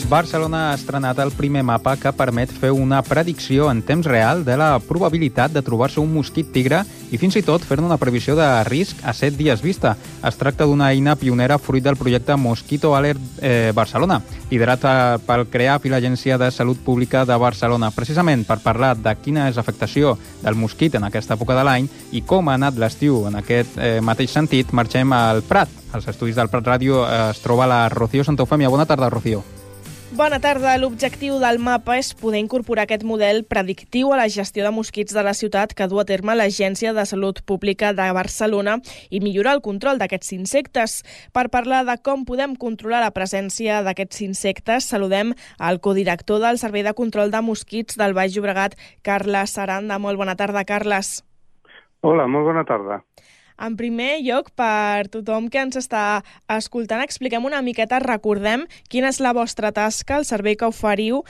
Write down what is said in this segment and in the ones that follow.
Barcelona ha estrenat el primer mapa que permet fer una predicció en temps real de la probabilitat de trobar-se un mosquit tigre i fins i tot fer-ne una previsió de risc a 7 dies vista. Es tracta d'una eina pionera fruit del projecte Mosquito Alert Barcelona, liderat pel CREAF i l'Agència de Salut Pública de Barcelona, precisament per parlar de quina és l'afectació del mosquit en aquesta època de l'any i com ha anat l'estiu en aquest mateix sentit. Marxem al Prat. Als estudis del Prat Ràdio es troba la Rocío Santofèmia. Bona tarda, Rocío. Bona tarda. L'objectiu del mapa és poder incorporar aquest model predictiu a la gestió de mosquits de la ciutat que du a terme l'Agència de Salut Pública de Barcelona i millorar el control d'aquests insectes. Per parlar de com podem controlar la presència d'aquests insectes, saludem al codirector del Servei de Control de Mosquits del Baix Llobregat, Carles Aranda. Molt bona tarda, Carles. Hola, molt bona tarda. En primer lloc, per tothom que ens està escoltant, expliquem una miqueta, recordem quina és la vostra tasca, el servei que oferiu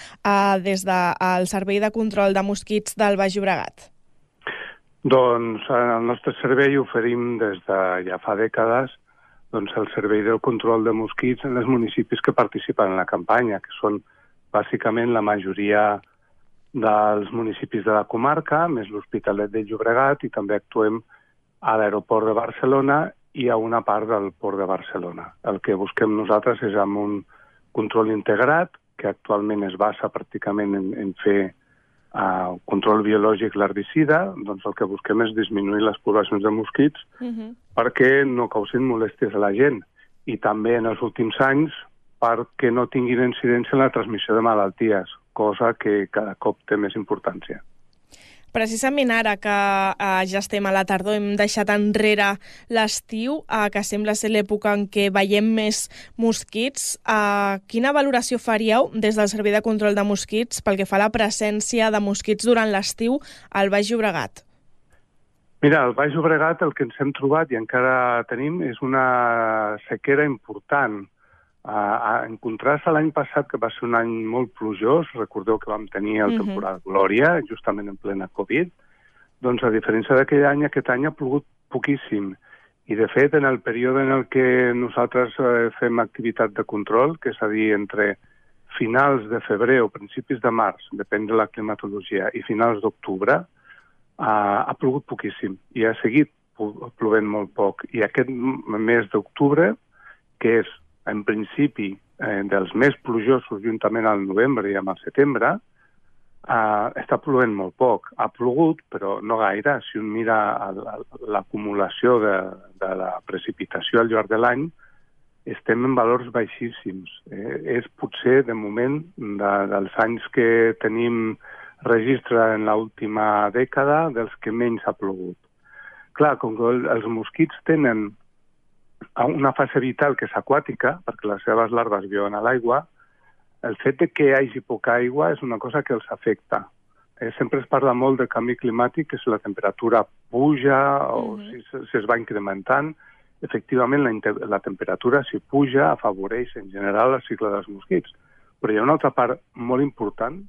des del Servei de Control de Mosquits del Baix Llobregat. Doncs el nostre servei oferim des de ja fa dècades el servei del control de mosquits en els municipis que participen en la campanya, que són bàsicament la majoria dels municipis de la comarca, més l'Hospitalet de Llobregat, i també actuem a l'aeroport de Barcelona i a una part del port de Barcelona. El que busquem nosaltres és amb un control integrat, que actualment es basa pràcticament en fer control biològic l'herbicida. Doncs el que busquem és disminuir les poblacions de mosquits perquè no causin molèsties a la gent, i també en els últims anys perquè no tinguin incidència en la transmissió de malalties, cosa que cada cop té més importància. Precisament ara que ja estem a la tardor, hem deixat enrere l'estiu, que sembla ser l'època en què veiem més mosquits. Quina valoració faríeu des del Servei de Control de Mosquits pel que fa a la presència de mosquits durant l'estiu al Baix Llobregat? Mira, al Baix Llobregat el que ens hem trobat i encara tenim és una sequera important. En contrast a l'any passat, que va ser un any molt plujós, recordeu que vam tenir el temporal Glòria, justament en plena Covid, doncs a diferència d'aquell any, aquest any ha plogut poquíssim. I de fet, en el període en el que nosaltres fem activitat de control, que és a dir, entre finals de febrer o principis de març, depèn de la climatologia, i finals d'octubre, ha plogut poquíssim i ha seguit plovent molt poc. I aquest mes d'octubre, que és en principi dels més plujosos juntament al novembre i amb el setembre, està plovent molt poc. Ha plogut, però no gaire. Si un mira l'acumulació de la precipitació al llarg de l'any, estem en valors baixíssims. És potser, de moment, dels anys que tenim registre en l'última dècada, dels que menys ha plogut. Clar, com que els mosquits tenen una fase vital que és aquàtica, perquè les seves larves viuen a l'aigua, el fet de que hi hagi poca aigua és una cosa que els afecta. Sempre es parla molt del canvi climàtic, que si la temperatura puja o si es va incrementant. Efectivament, la temperatura, si puja, afavoreix en general el cicle dels mosquits. Però hi ha una altra part molt important,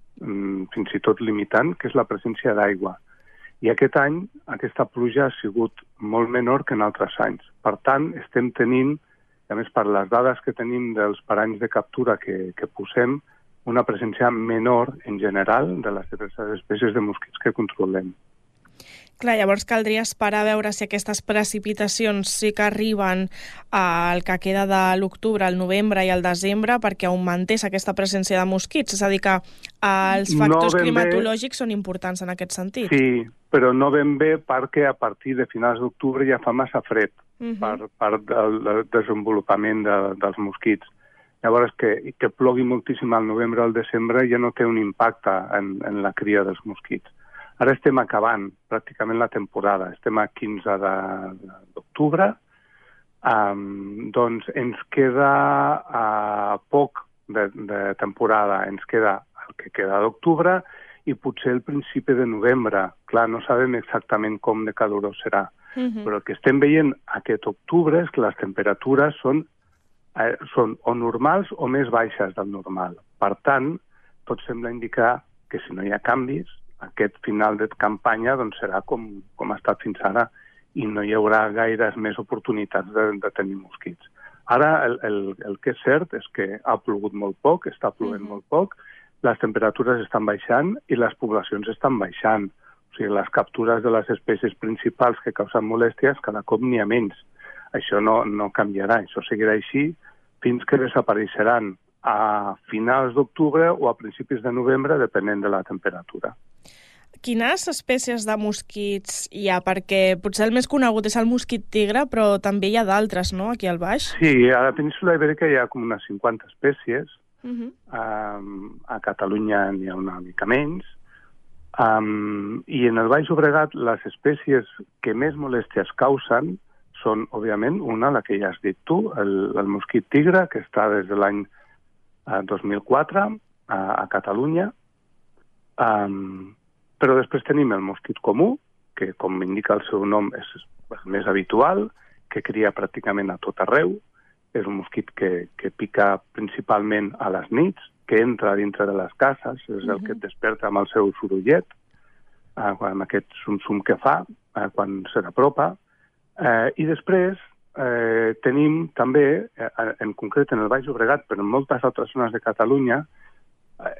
fins i tot limitant, que és la presència d'aigua. I aquest any aquesta pluja ha sigut molt menor que en altres anys. Per tant, estem tenint, a més per les dades que tenim dels paranys de captura que posem, una presència menor en general de les diverses espècies de mosquits que controlem. Clar, llavors caldria esperar a veure si aquestes precipitacions sí que arriben al que queda de l'octubre, al novembre i al desembre perquè augmentés aquesta presència de mosquits. És a dir, que els factors climatològics són importants en aquest sentit. Sí, però no ben bé perquè a partir de finals d'octubre ja fa massa fred per part del desenvolupament dels mosquits. Llavors, que plogui moltíssim al novembre o al desembre ja no té un impacte en la cria dels mosquits. Ara estem acabant pràcticament la temporada, estem a 15 d'octubre, doncs ens queda poc de temporada, ens queda el que queda d'octubre i potser el principi de novembre. Clar, no sabem exactament com de calorós serà, però el que estem veient aquest octubre és que les temperatures són o normals o més baixes del normal. Per tant, tot sembla indicar que si no hi ha canvis, aquest final de campanya doncs, serà com ha estat fins ara i no hi haurà gaires més oportunitats de tenir mosquits. Ara, el que és cert és que ha plogut molt poc, està plovent molt poc, les temperatures estan baixant i les poblacions estan baixant. O sigui, les captures de les espècies principals que causen molèsties cada cop n'hi ha menys. Això no canviarà, això seguirà així fins que desapareixeran a finals d'octubre o a principis de novembre, depenent de la temperatura. Quines espècies de mosquits hi ha? Perquè potser el més conegut és el mosquit tigre, però també hi ha d'altres, no?, aquí al baix. Sí, a la península Ibèrica hi ha com unes 50 espècies. A Catalunya n'hi ha una mica menys. I en el Baix Llobregat les espècies que més molèsties causen són, òbviament, una, la que ja has dit tu, el mosquit tigre, que està des de l'any 2004 a Catalunya. Però després tenim el mosquit comú, que, com indica el seu nom, és el més habitual, que cria pràcticament a tot arreu. És un mosquit que pica principalment a les nits, que entra dintre de les cases, és el que et desperta amb el seu sorollet, amb aquest sum-sum que fa quan se n'apropa. I després tenim també, en concret en el Baix Llobregat, però en moltes altres zones de Catalunya,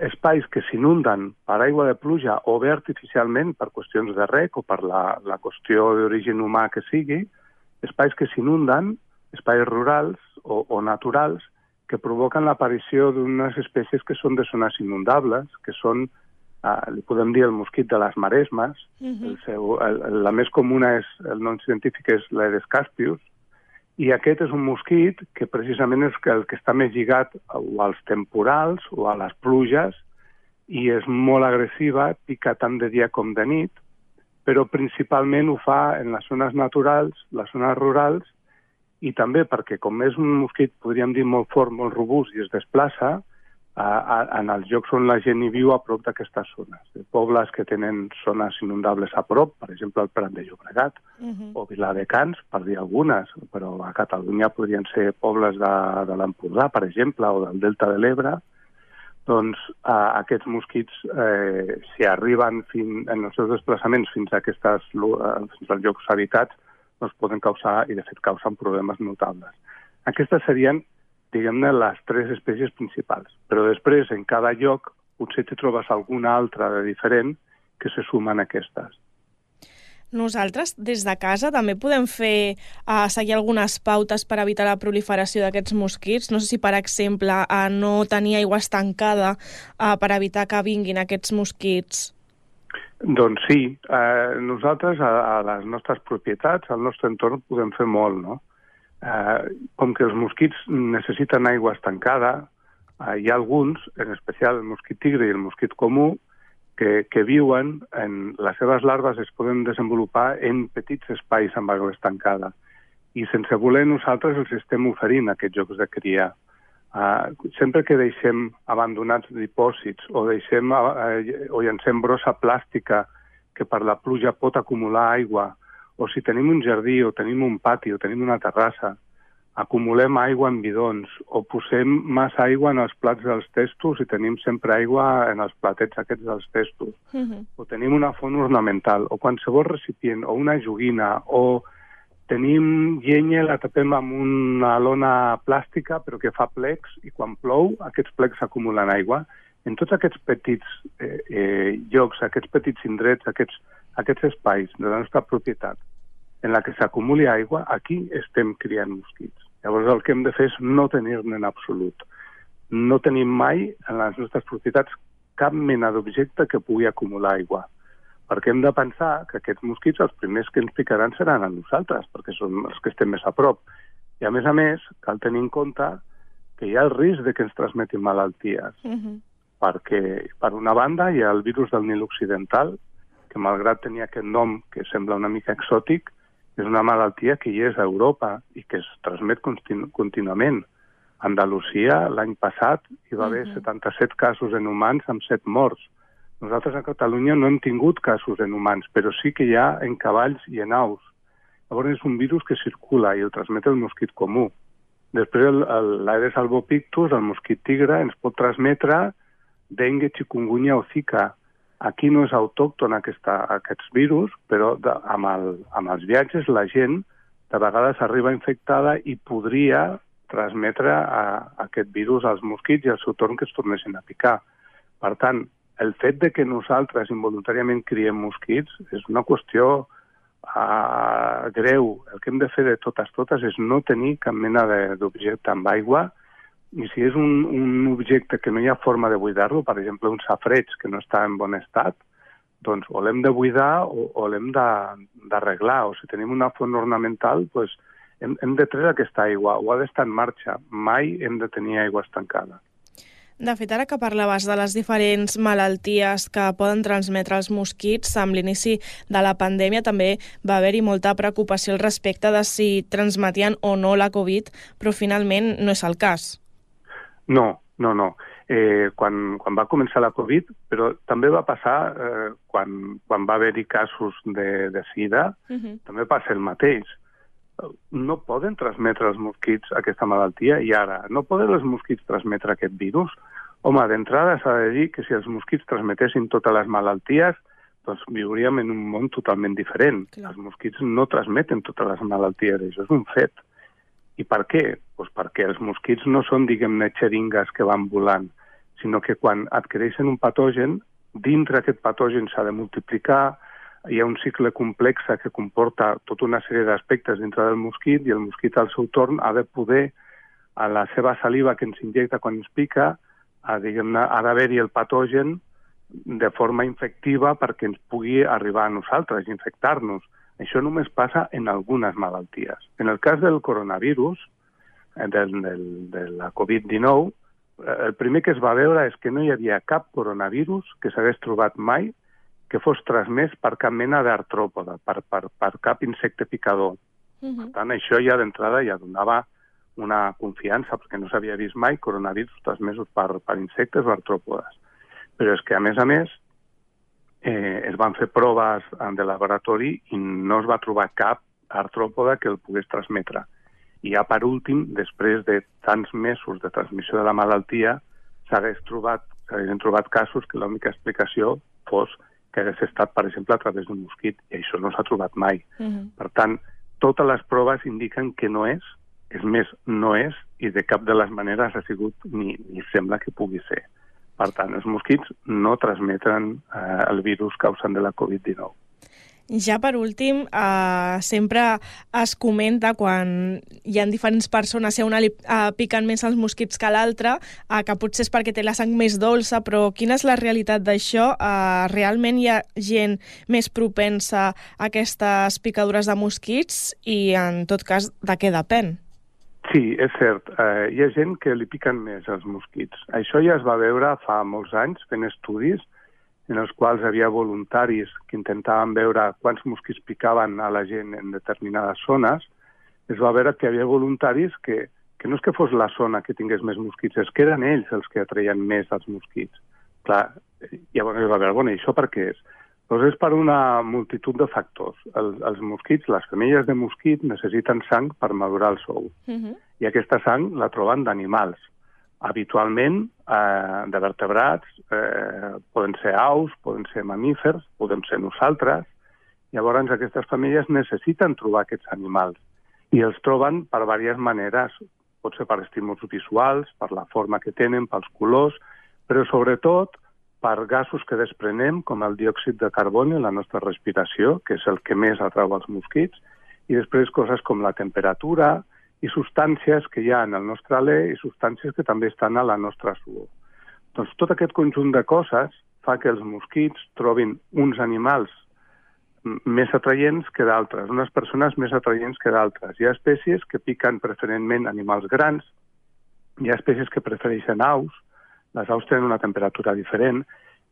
espais que s'inunden per aigua de pluja o bé artificialment per qüestions de rec o per la qüestió d'origen humà que sigui, espais que s'inunden, espais rurals o naturals, que provoquen l'aparició d'unes espècies que són de zones inundables, que són, li podem dir, el mosquit de les maresmes. La més comuna, el nom científic és l'Aedes caspius, i aquest és un mosquit que precisament és el que està més lligat o als temporals o a les pluges, i és molt agressiva, pica tant de dia com de nit, però principalment ho fa en les zones naturals, les zones rurals, i també perquè, com és un mosquit, podríem dir, molt fort, molt robust, i es desplaça en els llocs on la gent hi viu a prop d'aquestes zones. Pobles que tenen zones inundables a prop, per exemple, el Prat de Llobregat, o Viladecans, per dir algunes, però a Catalunya podrien ser pobles de l'Empordà, per exemple, o del Delta de l'Ebre. Doncs aquests mosquits, si arriben en els seus desplaçaments fins als llocs habitats, doncs poden causar, i de fet causen, problemes notables. Aquestes serien, diguem-ne, les 3 espècies principals. Però després, en cada lloc, potser te trobes alguna altra de diferent que se sumen a aquestes. Nosaltres, des de casa, també podem seguir algunes pautes per evitar la proliferació d'aquests mosquits. No sé si, per exemple, no tenir aigua estancada per evitar que vinguin aquests mosquits. Doncs sí, nosaltres a les nostres propietats, al nostre entorn, podem fer molt, no? Com que els mosquits necessiten aigua estancada, hi ha alguns, en especial el mosquit tigre i el mosquit comú, que viuen, les seves larves es poden desenvolupar en petits espais amb aigua estancada. I sense voler nosaltres els estem oferint aquests llocs de cria. Sempre que deixem abandonats dipòsits o llancem brossa plàstica que per la pluja pot acumular aigua, o si tenim un jardí o tenim un pati o tenim una terrassa, acumulem aigua en bidons o posem massa aigua en els plats dels testos i tenim sempre aigua en els platets aquests dels testos, o tenim una font ornamental o qualsevol recipient o una joguina o tenim llenya, la tapem amb una lona plàstica però que fa plecs i quan plou aquests plecs acumulen aigua. En tots aquests petits llocs, aquests petits indrets, aquests espais de la nostra propietat en la que s'acumuli aigua, aquí estem criant mosquits. Llavors el que hem de fer és no tenir-ne en absolut. No tenim mai en les nostres propietats cap mena d'objecte que pugui acumular aigua. Perquè hem de pensar que aquests mosquits els primers que ens picaran seran a nosaltres, perquè són els que estem més a prop. I a més, cal tenir en compte que hi ha el risc de que ens transmetin malalties. Perquè, per una banda, hi ha el virus del Nil Occidental, que malgrat tenir aquest nom que sembla una mica exòtic, és una malaltia que hi és a Europa i que es transmet contínuament. A Andalusia, l'any passat, hi va haver 77 casos en humans amb 7 morts. Nosaltres a Catalunya no hem tingut casos en humans, però sí que hi ha en cavalls i en aus. Llavors és un virus que circula i el transmet el mosquit comú. Després l'Aedes albopictus, el mosquit tigre, ens pot transmetre dengue, chikungunya o zika. Aquí no és autòcton aquests virus, però amb els viatges la gent de vegades arriba infectada i podria transmetre aquest virus als mosquits i al seu torn que es tornessin a picar. Per tant, el fet de que nosaltres involuntàriament criem mosquits és una qüestió greu. El que hem de fer de totes és no tenir cap mena d'objecte amb aigua, i si és un objecte que no hi ha forma de buidar-lo, per exemple, un safreig que no està en bon estat, doncs o l'hem de buidar o l'hem d'arreglar. O si tenim una font ornamental, doncs hem de treure aquesta aigua, o ha d'estar en marxa. Mai hem de tenir aigua estancada. De fet, ara que parlaves de les diferents malalties que poden transmetre els mosquits, amb l'inici de la pandèmia també va haver-hi molta preocupació al respecte de si transmetien o no la Covid, però finalment no és el cas. No. Quan va començar la Covid, però també va passar quan va haver-hi casos de sida, també passa el mateix. No poden transmetre els mosquits aquesta malaltia i ara no poden els mosquits transmetre aquest virus? Home, d'entrada s'ha de dir que si els mosquits transmetessin totes les malalties, doncs viuríem en un món totalment diferent. Clar. Els mosquits no transmeten totes les malalties, això és un fet. I per què? Doncs perquè els mosquits no són, diguem-ne, xeringues que van volant, sinó que quan adquireixen un patogen, dintre aquest patogen s'ha de multiplicar, hi ha un cicle complex que comporta tota una sèrie d'aspectes dintre del mosquit i el mosquit al seu torn ha de poder, a la seva saliva que ens injecta quan ens pica, ha d'haver-hi el patogen de forma infectiva perquè ens pugui arribar a nosaltres i infectar-nos. Això només passa en algunes malalties. En el cas del coronavirus, de la Covid-19, el primer que es va veure és que no hi havia cap coronavirus que s'hagués trobat mai que fos transmès per cap mena d'artròpoda, per cap insecte picador. Per tant, això ja d'entrada ja donava una confiança, perquè no s'havia vist mai coronavirus transmesos per insectes o artròpodes. Però és que, a més, es van fer proves de laboratori i no es va trobar cap artròpoda que el pogués transmetre. I ja per últim, després de tants mesos de transmissió de la malaltia, s'haguessin trobat casos que l'única explicació fos que hagués estat, per exemple, a través d'un mosquit, i això no s'ha trobat mai. Per tant, totes les proves indiquen que no és més, no és, i de cap de les maneres ha sigut ni sembla que pugui ser. Per tant, els mosquits no transmeten el virus causant de la Covid-19. Ja per últim, sempre es comenta quan hi ha diferents persones, si a una li piquen més els mosquits que a l'altra, que potser és perquè té la sang més dolça, però quina és la realitat d'això? Realment hi ha gent més propensa a aquestes picadures de mosquits i, en tot cas, de què depèn? Sí, és cert. Hi ha gent que li piquen més els mosquits. Això ja es va veure fa molts anys fent estudis en els quals hi havia voluntaris que intentaven veure quants mosquits picaven a la gent en determinades zones. Es va veure que hi havia voluntaris que no és que fos la zona que tingués més mosquits, és que eren ells els que atreien més els mosquits. Clar, llavors es va veure, bueno, i això per què és? Doncs és per una multitud de factors. Els mosquits, les femelles de mosquit, necessiten sang per madurar el sou. I aquesta sang la troben d'animals. Habitualment, de vertebrats, poden ser aus, poden ser mamífers, podem ser nosaltres. Llavors, aquestes famílies necessiten trobar aquests animals i els troben per diverses maneres. Pot ser per estímuls visuals, per la forma que tenen, pels colors, però sobretot per gasos que desprenem, com el diòxid de carboni en la nostra respiració, que és el que més atrau els mosquits, i després coses com la temperatura i substàncies que hi ha en el nostre alè i substàncies que també estan a la nostra suor. Doncs tot aquest conjunt de coses fa que els mosquits trobin uns animals més atraients que d'altres, unes persones més atraients que d'altres. Hi ha espècies que piquen preferentment animals grans, hi ha espècies que prefereixen aus, les aus tenen una temperatura diferent,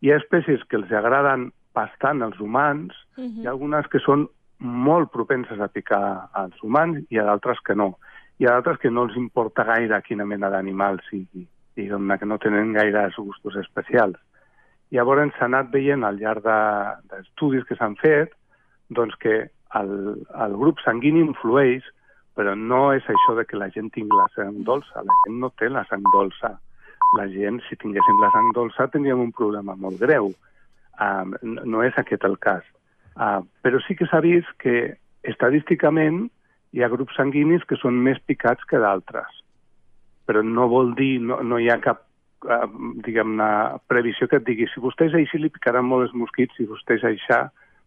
hi ha espècies que els agraden bastant als humans, hi ha algunes que són molt propenses a picar als humans i hi ha d'altres que no. Hi ha d'altres que no els importa gaire quina mena d'animal sigui, diguem-ne que no tenen gaire gustos especials. Llavors s'ha anat veient al llarg d'estudis que s'han fet doncs que el grup sanguini influeix, però no és això de que la gent tingui la sang dolça. La gent no té la sang dolça. La gent, si tinguéssim la sang dolça, tindríem un problema molt greu. No és aquest el cas. Però sí que s'ha vist que estadísticament hi ha grups sanguinis que són més picats que d'altres. però no vol dir, no hi ha cap diguem-ne, previsió que et digui si vostè és així li picaran molt els mosquits, si vostè és així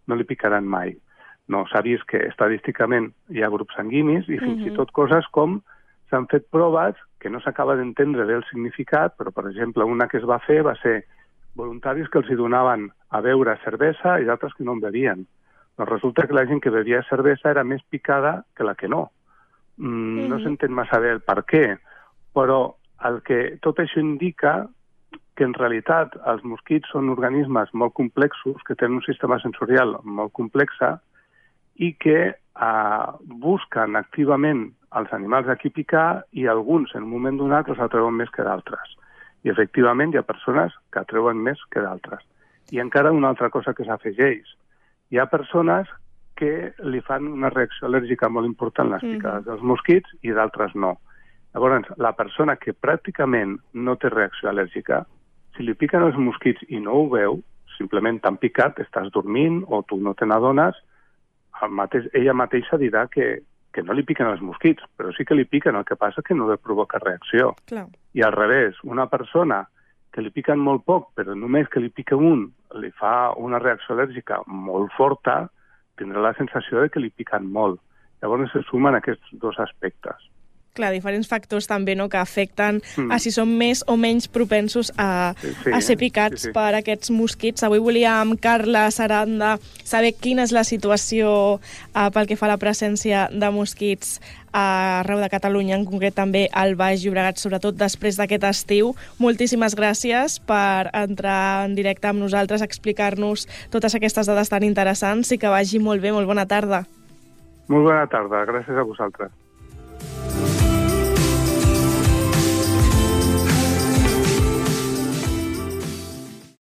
no li picaran mai. No, s'ha vist que estadísticament hi ha grups sanguinis i fins i tot coses com s'han fet proves que no s'acaba d'entendre bé el significat, però, per exemple, una que es va fer va ser voluntaris que els hi donaven a beure cervesa i d'altres que no en bevien. Doncs resulta que la gent que bevia cervesa era més picada que la que no. No s'entén massa bé el per què, però tot això indica que en realitat els mosquits són organismes molt complexos, que tenen un sistema sensorial molt complex i que busquen activament els animals a qui picar i alguns en un moment donat els atreuen més que d'altres. I efectivament hi ha persones que atreuen més que d'altres. I encara una altra cosa que s'afegeix. Hi ha persones que li fan una reacció al·lèrgica molt important les picades dels mosquits i d'altres no. Llavors, la persona que pràcticament no té reacció al·lèrgica, si li piquen els mosquits i no ho veu, simplement t'han picat, estàs dormint o tu no te n'adones, ella mateixa dirà que no li piquen els mosquits, però sí que li piquen, el que passa que no li provoca reacció. Clar. I al revés, una persona que li piquen molt poc, però només que li pica un, li fa una reacció al·lèrgica molt forta, tindrà la sensació de que li piquen molt. Llavors se sumen aquests dos aspectes. Clar, diferents factors també, no?, que afecten a si som més o menys propensos a ser picats per aquests mosquits. Avui volia amb Carla Saranda saber quina és la situació pel que fa a la presència de mosquits arreu de Catalunya, en concret també al Baix Llobregat, sobretot després d'aquest estiu. Moltíssimes gràcies per entrar en directe amb nosaltres, explicar-nos totes aquestes dades tan interessants i que vagi molt bé. Molt bona tarda. Molt bona tarda, gràcies a vosaltres.